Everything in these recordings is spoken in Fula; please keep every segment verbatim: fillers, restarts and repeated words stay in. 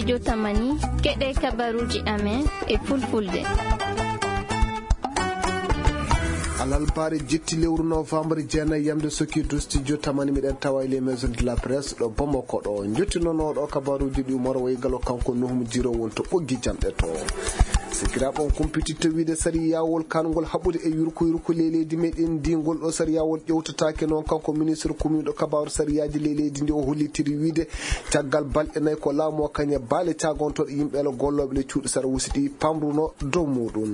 Jotamani, keɗe kabaruuji amen e fulfulde. Alalbaare jetti lewru novembre jeenayi yamde sokki dusti jotamani miɗen tawa e les maisons de la presse ɗo Bamako ɗo. Jotti noon oɗo kabaruuji ɗi Umar Waygalo kanko Nuhum Jiro won to ɓoggi jamɗe to. Sikiraaɓe on kumpititta wiide sariyawol kangol haɓude e yurko yurko ley leydi meɗen ndi ngol ɗo sariyawol ƴewtataake noon kanko ministre kumiiɗo kabaru sariyaaji ley leydi ndi o hollitiri wiide caggal balɗe nayi ko laamu o kañe baale caagontoɗo yimɓe ele gollooɓe le cuuɗi sara wusi ɗi pamruno dow muɗum.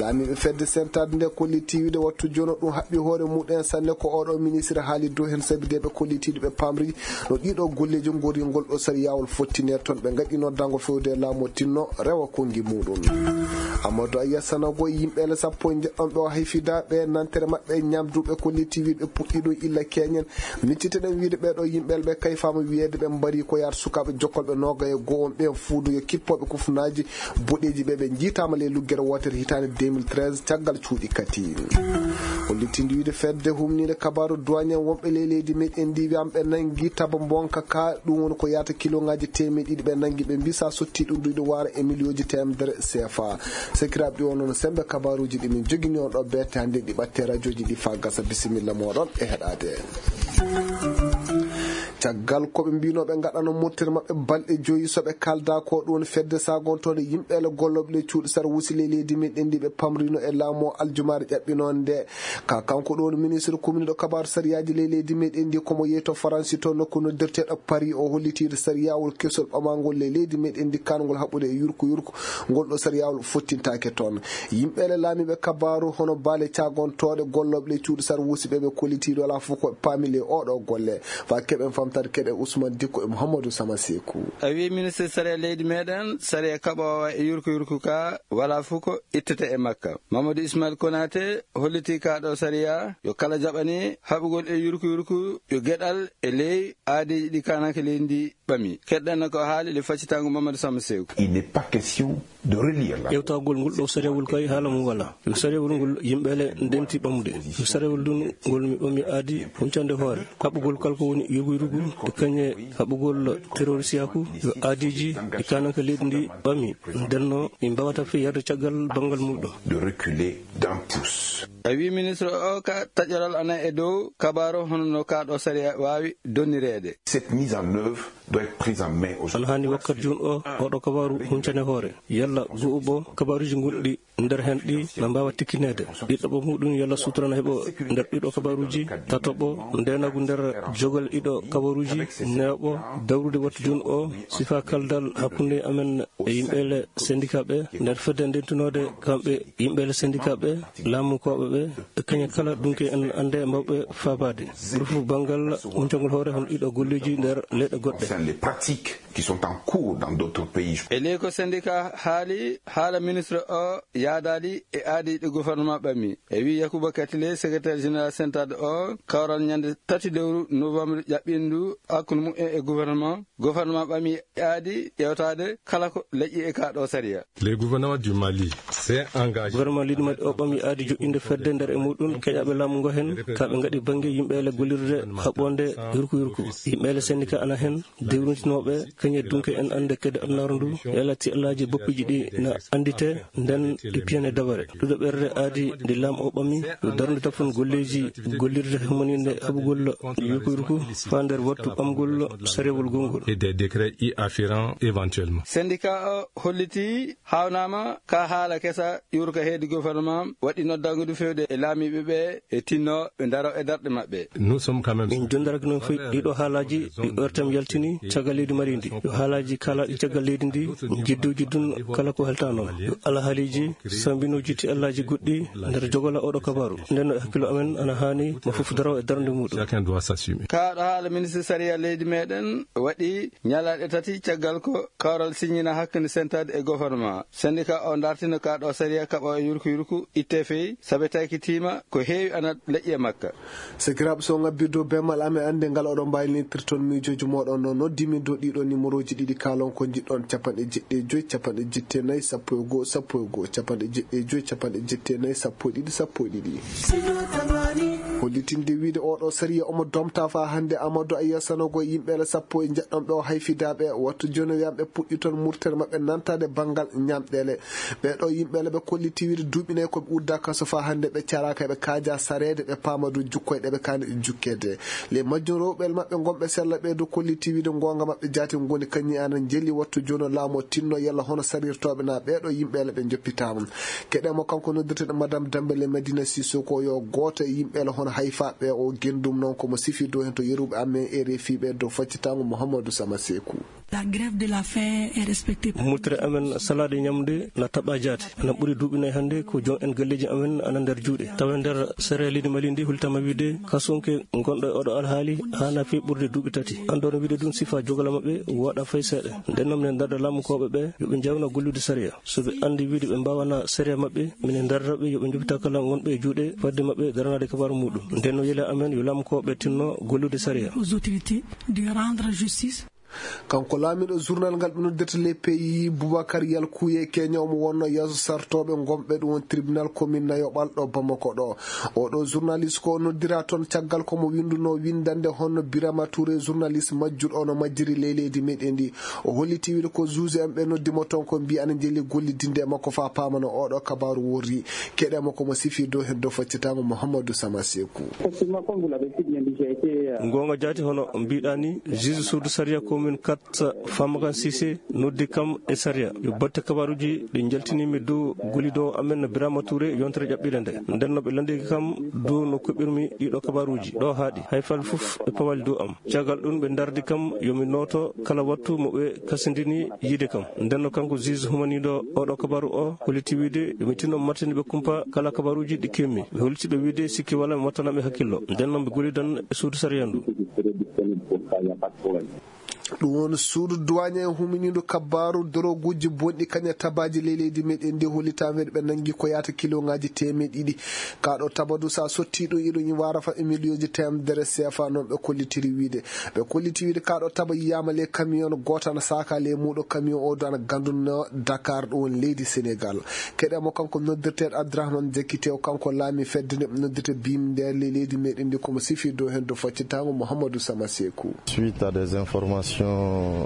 Laamiiɓe fedde sentade nde kolli tiwiide wattu jono ɗum haɓɓi hoore muɗum en sanne ko oɗo ministre haali dow heen sabi de ɓe kolli tiwiide ɓe pamri no ɗiɗo golleeji ngori ngol ɗo sariyawol fottine toon ɓe ngaɗino dango fewde laamu o tinno rewa konngi muɗum. Amadou Aya Sanago e yimɓe ele sappo e njeɗɗon ɓe o hayfida ɓe nantere maɓɓe ñamduɓe kolli tiwiide ɓe puɗɗi ɗum illa keñen. Miccite ɗen wiide ɓeɗo yimɓe ele ɓe kayfama wiyeede ɓe mbari ko yaata sukaaɓe jokkolɓe noga e go'o on ɓen fuudu yo kippoɓe kufunaji boɗeeji ɓe ɓe jiitama ley luggere wootere hitaande deux mille treize caggal cuuɗi kati. Hollitinde wiide fedde humninde kabaru duwañen wonɓe ley leydi meɗen ndi wiyama ɓe nangi taba bonka ka ɗum woni ko yaata kiloŋaji teemeɗe ɗiɗi ɓe nangi ɓe mbisa sotti ɗum ɗiɗo wara e miliyonji temedere C F A. Sekiraɓe ɗi o noon sembe kabaruji ɗi min jogini on ɗo bette hannde ɗi ɓatte radioji ɗi fa gasa bisimilla moɗon e heɗade. Caggal ko ɓe mbino ɓe ngaɗano murtere maɓɓe balɗe joyi so ɓe kalda ko ɗum fedde sagontoɗe yimɓe ele gollooɓe le cuuɗi sara wusi ley leydi meɗen ndi ɓe pamrino e laamu o aljumaare ƴaɓɓinonde ka kanko ɗum ministre commune ɗo kabaru sariyaji ley leydi meɗen ndi komo yeeto faransi to nokku noddirteɗo paris o hollitiide sariyawol kesol ɓamangol ley leydi meɗen ndi kangol haɓude e yurko yurko ngol ɗo sariyawol fottintaake toon. Yimɓe le laamiiɓe kabaaru hono baale caagontooɗe gollooɓe le cuuɗi sar wuusiɓe ɓe kollitiiɗo alaa fof ko paami le oɗo golle. Fa keɓen famtade keɗe Ousmane Dikko e Mouhamadou Sama Sekou. A wi ministre sariya leydi meɗen sariya kaɓoowa e yurko yurko ka wala fof ko ittete e makka. Mamadou Ismail Konate holliti ka ɗo sariya yo kala jaɓani haɓugol e yurko yurko yo geɗal e ley aadiiji ɗi kananke leydi ndi ɓami. Keɗɗen ko haali le faccitango Mamadou Sama Sekou. Il n'est pas question de relire la. Ƴewtagol ngol ɗo sariyawol kay haala mum wala. Yo sariyawol ngol yimɓe le ndenti ɓamude. Yo sariyawol ɗum ngol mi ɓami aadi huncande hoore. Haɓugol kala ko woni yurgu yurgu, to kañe haɓugol terrorisiyaku, yo aadiiji e kananke leydi ndi ɓami. Ndenno, min mbawata fiyarde caggal banngal mum ɗo. De reculer d'un pouce. A wi ministre o ka taƴoral ana e dow kabaro hono no ka ɗo sariya waawi donnireede. Cette mise en œuvre doit être prise en main aujourd'hui. Ana hani wakkati jun o, oɗo kabaru huncane hoore. Yalla go'uɓo kabaruji gonɗi nder hen ɗi na mbawa tikkineede. Ɗiɗaɓo muɗum yalla sutura na heɓo nder ɗiɗo kabaruji. Tatoɓo ndenagu nder jogol ɗiɗo kabaruji. Neoɓo dawrude wattu jun o sifa kaldal hakkunde amen e yimɓe le syndicat ɓe nder fedde ndentunode kamɓe yimɓe le syndicat ɓe laamu koɓe ɓe e kañe kala dunke en ande mbawɓe faabade. Ɓuri fof banngal uncagol hoore hono ɗiɗo golleji nder leyɗe goɗɗe. Enfin, les pratiques qui sont en cours dans d'autres pays. E ley ko syndicat haali haala ministre o yaadaali e aadi ɗi gouvernement ɓami. E wi Yakuba Katile, secrétaire général sentade o, kawral ñande tati lewru novembre ƴaɓɓindu hakkunde mumen e gouvernement. Gouvernement ɓami aadi ƴewtaade kala ko leƴƴi e ka ɗo sariya. Le gouvernement du Mali s'est engagé. Gouvernement leydi Mali o ɓami aadi joɗɗinde fedde nder e muɗum keƴaɓe laamu ngo hen, ka ɓe ngaɗi bannge yimɓe ele gollirde haɓɓonde yurku yurku. Yimɓe ele syndicat ana hen, dewrintinooɓe, kañe dunke en annde kede adunaaru ndu, yalati alaaji boppiiji ɗi na anndite, nden ɗi piyane dabare. Ɗuɗo ɓerde aadi nde laam o ɓami, yo darnde tafon golleeji gollirde humaninde haɓugol yurku yurku, faa nder wattu ɓamgol sarewol gongol. Et des décrets y afférents éventuellement. Syndicat o holliti haawnama ka haala kesa yurka heedi gouvernement waɗi noddangudu fewde e laamiiɓe ɓe e tinno ɓe daro e darɗe maɓɓe. Nous sommes quand même. Min dendaraki noon fof ɗiɗo haalaji ɗi ortem yaltini caggal leydi mari ndi. Yo haalaji kalaɗi caggal leydi ndi jidduji dun kala ko halta noon. Yo alahaaliji sambinoji ti allaji goɗɗi nder jogola oɗo kabaru. Nden no e hakkilo amen ana haani mo fof daro e darnde muɗum. Chacun doit s'assumer. Kaɗo haala ministre sariya leydi meɗen waɗi ñalaɗe tati caggal ko kawral siññina hakkunde sentade e gouvernement. Syndicat o dartino ka ɗo sariya kaɓo e yurku yurku itte fey sabe takitima ko heewi ana leƴƴi e makka. Sakiraaɓe, so ngabbi dow bemal amen annde ngal oɗon mbawi nittirton miijoji moɗon no noddi min dow ɗiɗo numéroji ɗiɗi kalon ko jiɗɗon capanɗe jeɗɗi e joyi capanɗe jetti e nayi sappo e goho sappo e goho capanɗe jeɗɗi e joyi capanɗe jetti e nayi sappo e ɗiɗi sappo e ɗiɗi. Hollitinde wiide oɗo sariya omo domta faa hannde Amadou Aya Sanogo e yimɓeele sappo e njeɗɗon ɓe o hayfidaaɓe. Wattu jooni o wiyan ɓe puɗɗi toon murtere maɓɓe nantaade banngal ñamɗeele. Ɓee ɗo yimɓeele ɓe kolliti wiide duuɓi nayi ko ɓe udda kaso faa hannde ɓe caraaka, ɓe kaaja sareede, ɓe paama dow jukkoy ɗe ɓe kaani jukkeede. Le majjum rewɓe maɓɓe ngonɓe sella ɓee dow kolliti wiide ngoonga maɓɓe jaati ngoni kañum ana njeli wattu jooni o laamu o tinno yalla hono sarirtooɓe na ɓee ɗo yimɓeele ɓe njoppitaama. Keɗe mo kanko noddirteɗo Madame Dembele Madina Sissoko yo gooto e yimɓeele hono hayfaaɓe o genndum noon ko mo sifi dow heen to yeruɓe amen e refiɓe dow faccitaango Mouhamadou Sama Sekou. La grève de la faim est respectée. Murtere amen salaade ñamde na taɓa jaati. Ana ɓuri duuɓi nayi hannde ko joom en galleeji amen ana nder juuɗe. Tawa nder sere leydi Mali ndi hultama wiide kasunke gonɗo e oɗo alhaali haana fii ɓurde duuɓi tati. Andono wiide ɗum sifa jogala maɓɓe waɗa fay seeɗa. Nden noon minen darda laamukooɓe ɓe yo ɓe njawna gollude sariya. So ɓe anndi wiide ɓe mbaawana sariya maɓɓe, minen darda ɓe yo ɓe njoppita kala gonɗo e juuɗe fadde maɓɓe daranaade kabaaru muɗum. Nden no yela amen yo laamukooɓe tinno gollude sariya. Aux autorités de rendre justice. Kanko laamiiɗo journal ngal ɓe noddirta Le Pays, Boubacar Yalkouye Kenya, omo wonno yeeso sartooɓe gonɓe ɗum won tribunal commune nayoɓal ɗo Bamako ɗo. Oɗo journaliste ko o noddira toon caggal ko mo winndunoo winndannde hono Birama Touré, journaliste majjuɗo ono majjiri ley leydi meɗen ndi. O holliti wiide ko juge en ɓe noddi mo toon ko mbiyi ana njeli gollidinde e makko faa paamano oɗo kabaaru worri. Keɗe mo ko mo sifi dow heen dow faccitaango Mouhamadou Sama Sekou. Effectivement, comme vous l'avez si bien dit, j'ai été, euh, Ngoonga jaati hono mbiɗa ni, juge suudu sariya commune quatre Famakan Cissé noddi kam e sariya. Yo batte kabaaruji ɗi njaltinimi dow gollido amen Birama Touré yontere ƴaɓɓire nde. Nden no ɓe landiki kam dow no kuɓɓirmi ɗiɗo kabaaruji ɗo haaɗi. Hay fal fof e pawal dow am. Caggal ɗum ɓe dardi kam yo mi nooto kala wattu mo ɓe kasindini yiide kam. Nden no kanko juge humaniiɗo oɗo kabaaru o holliti wiide yo mi tinno martini ɓe kumpa kala kabaaruji ɗi kemmi. Ɓe holliti ɓe wiide sikki wala mi wattana ɓe hakkillo. Nden no ɓe gollidan e suudu sariya ndu. Ɗum woni suudu duwaañe e huminiiɗo kabaaru doroguuji bonɗi kaña tabaaji ley leydi meɗen ndi hollitaama ɓe nanngi ko yaata kiloŋaaji teemeɗe ɗiɗi. Kaa ɗo tabadu so a sottii ɗum iɗum waara fa e miliyonji teemedere seefa noon ɓe kollitiri wiide. Ɓe kolliti wiide kaa ɗo taba yiyaama le camion gooto ana saaka le muuɗo camion o do ana gandunoo Dakar ɗo woni leydi Senegal. Keɗe mo kanko noddirteeɗo Abdourahmane Diakité o kanko laami fedde nde noddirta bimnde ley leydi meɗen ndi komo sifi dow heen dow faccitaango Mouhamadou Sama Sekou. Suite à des informations.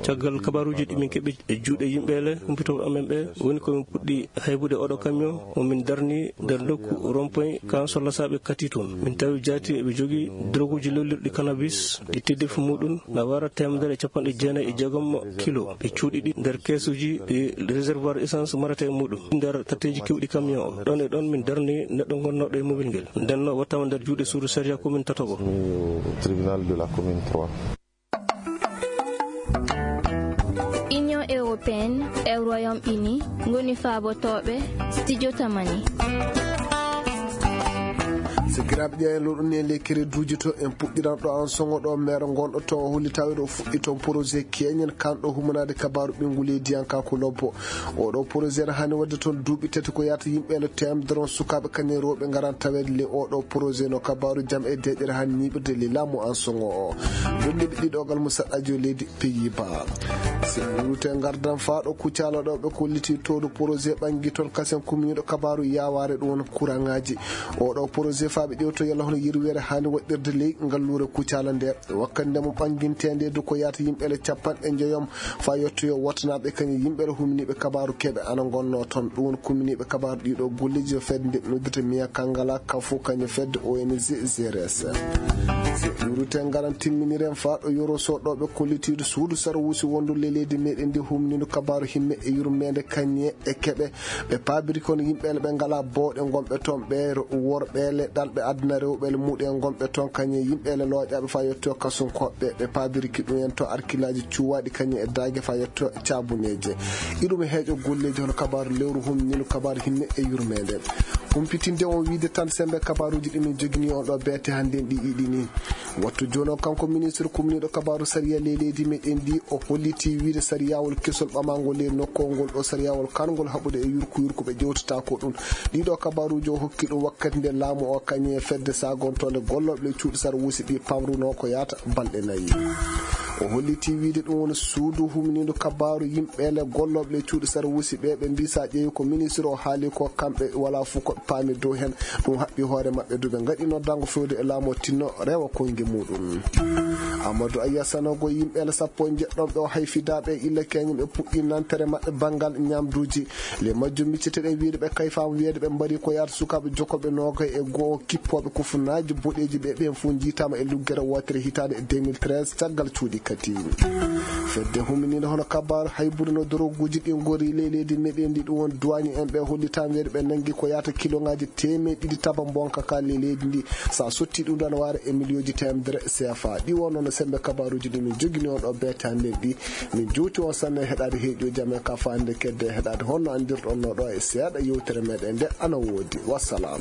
Caggal kabaaruuji ɗi min keɓi e juuɗe yimɓe le humpitooɓe amen ɓe woni ko min puɗɗi haybude oɗo camion mo min darni nder nokku rond-point kan sollasaaɓe kati toon. Min tawi jaati eɓe jogii droguuji lollirɗi cannabis ɗi teddefi muɗum na wara teemedere e capanɗe jeenayi e jeegom kilo. Ɓe cuuɗi ɗi nder keesuuji ɗi réservoir essence marata e muɗum nder tatteeji kewɗi camion o. Ɗon e ɗon min darni neɗɗo gonnooɗo e mobile ngel. Nden no wattaama nder juuɗe suudu sariya commune tataɓo. Au tribunal de la commune trois. Union européenne e Royaume-Uni ngoni faabotooɓe studio Tamani. Sikiraaɓe ƴeewen loɗo ni e ley kereduuji to en puɗɗiran ɗo an songo ɗo maire gonɗo to o holli tawi ɗo fuɗɗi toon projet keñen kanɗo humanaade kabaaru ɓinngu leydiyanka ko lobbo. Oɗo projet ne hani wadde toon duuɓi tati ko yahata yimɓe ele teemedere on sukaaɓe kañum e rewɓe ngaran taweede le oɗo projet no kabaaru jam e deeƴere hani ñiiɓirde le laamu an songo o. Ɗum ɗiɗi ɗiɗogal mo saɗɗaji o leydi Pays-Bas. Sécurité ngardan faa ɗo Kucala ɗo ɓe kolliti tooɗo projet ɓanngi toon kasen kuminiiɗo kabaaru yaawaare ɗum won kuraŋaaji. Oɗo projet faa ɓe ƴewto yalla hono yirweere haani waɗɗirde ley ngalluure Kucala nde. Wakkati nde mo ɓannginteende du ko yaata yimɓe ele capanɗe njeyom faa yottoyo wottanaaɓe kañum yimɓe ele huminiiɓe kabaaru keɓe ana ngonnoo toon. Ɗum won kuminiiɓe kabaaru ɗiɗo golleeji yo fedde nde ɓe noddata Miya Kangala Kafu kañum fedde O N G G R S. Yurite ngaran timminiren faa ɗo yoro soɗɗooɓe kollitiiɗo suudu sarwuusi wondu le leydi meɗen ndi humniiɗo kabaaru himme e yurmeende kañe e keɓe ɓe paabiri kono yimɓe ele ɓe ngalaa booɗe ngonɓe toon ɓe worɓe ele ɗalɓe aduna rewɓe ele muɗe ngonɓe toon kañe yimɓe ele looƴaaɓe faa yetto kasunkoɓe ɓe paabiriki ɗum en to arkilaaji cuwaaɗi kañe e daage faa yetto caabuneeje. Iɗum e heeƴo golleeji hono kabaaru lewru humniiɗo kabaaru himme e yurmeende. Humpitinde on wiide tan semmbe kabaaruuji ɗi min jogini on ɗo beete hannde ɗi iɗi ni. Wattu jooni o kanko ministre kumniiɗo kabaaru sariya ley leydi meɗen ndi o holliti wiide sariyawol kesol ɓamaangol ley nokkol ngol ɗo sariyawol karngol haɓude e yurku yurku ɓe ƴewtata ko ɗum. Ɗiɗo kabaaruuji o hokki ɗum wakkati nde laamu o kañe fedde sagontoonde gollooɓe ley cuuɗi sarwuusi ɗi pamruno ko yaata balɗe nayi. O holliti wiyde ɗum woni suudu humniindu kabaaru yimɓe le gollooɓe le cuuɗi sarwuusi ɓe, ɓe mbii so a ƴeewi ko ministre o haali ko, kamɓe wala fof ko ɓe paami dow heen. Ɗum haɓɓi hoore maɓɓe du ɓe ngaɗi noddaango fewde e laamu o tinno rewa konnge muɗum. Amadou Aya Sanogo, yimɓe le sappo e njeɗɗo ɓe o hay fidaaɓe e illa keñum ɓe puɗɗi nantere maɓɓe banngal ñaamduuji. Le majjum micceteɗen wiyde ɓe kayfaama wiyde ɓe mbari ko yaata sukaaɓe jokkooɓe noogay e goo kippooɓe kufunaaji boɗeeji ɓe, ɓeen fof njiitaama e luggere wootere hitaande e deux mille treize caggal cuuɗi kadi. Fedde huminiinde hono kabaaru hay buri no doroguuji ɗi ngori ley leydi meɗen ndi ɗum won duwaañi en ɓe hollitaama wiyde ɓe nanngi ko yaata kiloŋaaji teemeɗe ɗiɗi taba mbonka ka ley leydi ndi. So a sotti ɗum ɗo ana waara e miliyooji teemedere C F A. Ɗi wonno no semmbe kabaaruuji ɗi min jogini on ɗo beetaande ɗi. Min jowti on sanne heɗaade heeƴooji amen ka faande kedde heɗaade honno anndirɗon no ɗo e seeɗa yewtere meɗen nde ana woodi. Wassalam.